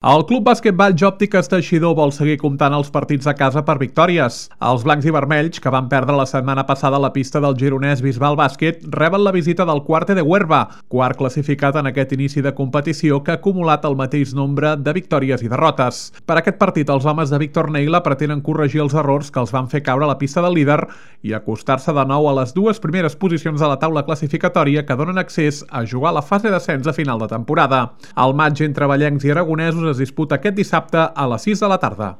El Club Basquetball Jòptiques Teixidor vol seguir comptant els partits a casa per victòries. Els blancs i vermells, que van perdre la setmana passada a la pista del gironès Bisbal Bàsquet, reben la visita del Cuarte de Huerva, quart classificat en aquest inici de competició que ha acumulat el mateix nombre de victòries i derrotes. Per aquest partit, els homes de Víctor Neila pretenen corregir els errors que els van fer caure a la pista del líder i acostar-se de nou a les dues primeres posicions de la taula classificatòria que donen accés a jugar a la fase d'ascens a final de temporada. El matx entre ballencs i aragonesos es disputa aquest dissabte a les 6 de la tarda.